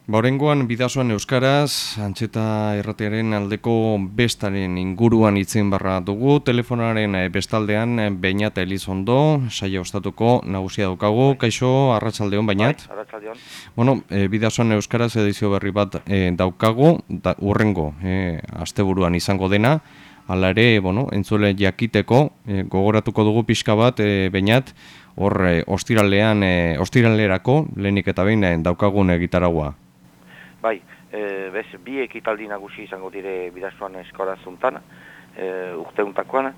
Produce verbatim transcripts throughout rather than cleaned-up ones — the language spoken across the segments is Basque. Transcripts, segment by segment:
Baurengoan bidasoan euskaraz, Antxeta Irratiaren aldeko bestaren inguruan itzen barra dugu. Telefonaren bestaldean Beñat Elizondo, saia ostatuko nagusia daukagu. Kaixo, arratsaldeon Beñat. Bai, arratsaldeon. Bueno, e, bidasoan euskaraz edizio berri bat e, daukagu, da, urrengo e, asteburuan izango dena. Hala ere, bueno, entzule jakiteko, e, gogoratuko dugu pixka bat, e, Beñat, hor e, ostiralean, e, ostiralerako, lehenik eta behin e, daukagun egitaragua. Bai, e, bez, bi ekitaldi nagusi izango dire bidasoan eskola zuntan, e, urteuntakoan,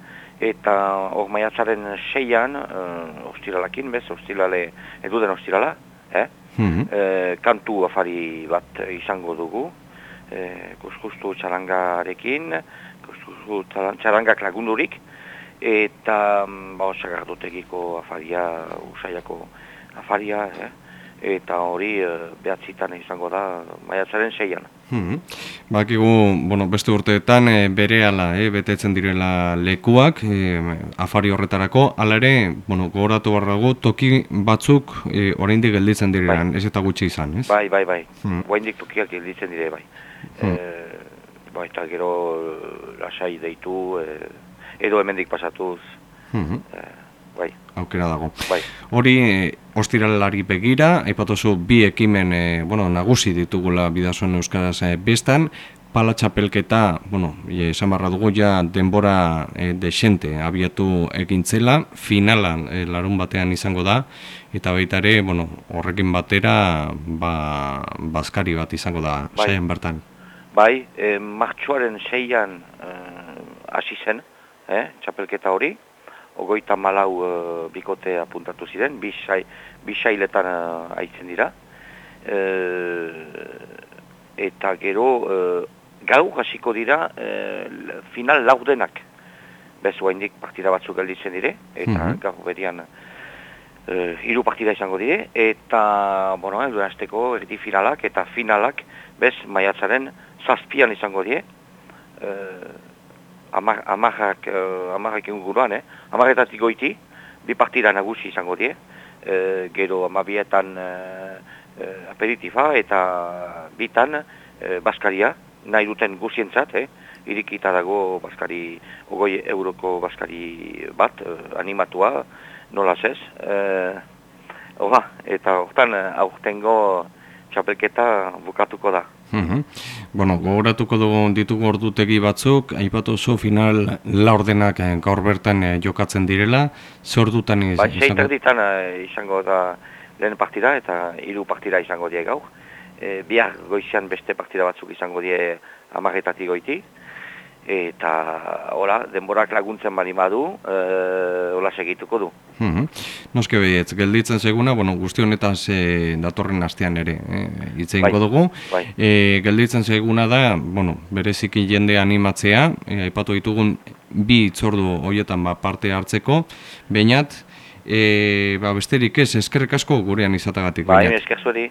eta hor maiatzaren seian, e, ostiralakin, bez, ostirale, eduden ostirala, eh? Mm-hmm. e, kantu afari bat izango dugu, e, kuskustu txarangarekin, kuskustu txarangak lagundurik, eta ba, sagardotegiko afaria, usaiako afaria, eh? Eta hori e, behatzitan izango da maiatzaren seian. Hmm. Bakigu, bueno, beste urteetan e, berehala e, betetzen direla lekuak e, afari horretarako, hala ere, bueno, gogoratu behar dago, toki batzuk e, oraindik gelditzen direan, bai. Ez eta gutxi izan, ez? Bai, bai, bai. Hmm. Oraindik tokiak gelditzen dire, bai. Hmm. E, bai, eta gero lasai deitu, e, edo hemendik pasatuz, Hmm. e, bai. Aukera dago. Bai. Hori, e, ostiralari begira, aipatuzu bi ekimen e, bueno, nagusi ditugula bidasoan euskaraz e, bestan, pala txapelketa, bueno, esan barra dugu ja denbora e, desente abiatu egintzela, finalan e, larun batean izango da, eta baita ere, bueno, horrekin batera, ba, bazkari bat izango da, Bai. saian bertan. Bai, e, martxoaren seian hasi zen, eh, txapelketa hori, ogoita malau uh, bikote apuntatu ziren, bisailetan uh, aitzen dira. E, eta gero, uh, gau hasiko dira uh, final laurdenak. Bez, oaindik partida batzuk gelditzen dire, eta mm-hmm. gau berian uh, hiru partida izango dire, eta, bueno, edo azteko erdi finalak eta finalak, bez, maiatzaren zazpian izango die. Uh, Amar, amarrak, uh, amarrak inguruan, eh? Amarretatik goiti, bi partida nagusi izango die, e, gero amabietan uh, uh, aperitifa eta bitan uh, baskaria, nahi duten guzientzat, eh? Irikita dago baskari, ogoi euroko baskari bat, uh, animatua, nola zez. Uh, Oba, eta hortan aurtengo txapelketa bukatuko da. Mm-hmm. Bueno, gogoratuko dugu ditugu ordutegi batzuk, aipatu zu final laurdenak gaur bertan jokatzen direla, ze ordutan iz, ba, izango? Sei terditan uh, izango da lehen partida eta hiru partida izango die gaur. E, bihar goizian beste partida batzuk izango die amarretatik goiti. Eta, hola, denborak laguntzen bali madu, e, hola segituko du. Mm-hmm. Noske behietz, gelditzen seguna, bueno, guzti honetaz e, datorren astean ere e, hitz egingo bai, dugu. Bai. E, gelditzen seguna da, bueno, bereziki jende animatzea, e, aipatu ditugun bi itzordu horietan ba, parte hartzeko, Beñat, e, ba, besterik ez, eskerrik asko gurean izatagatik. Bai, esker zueri.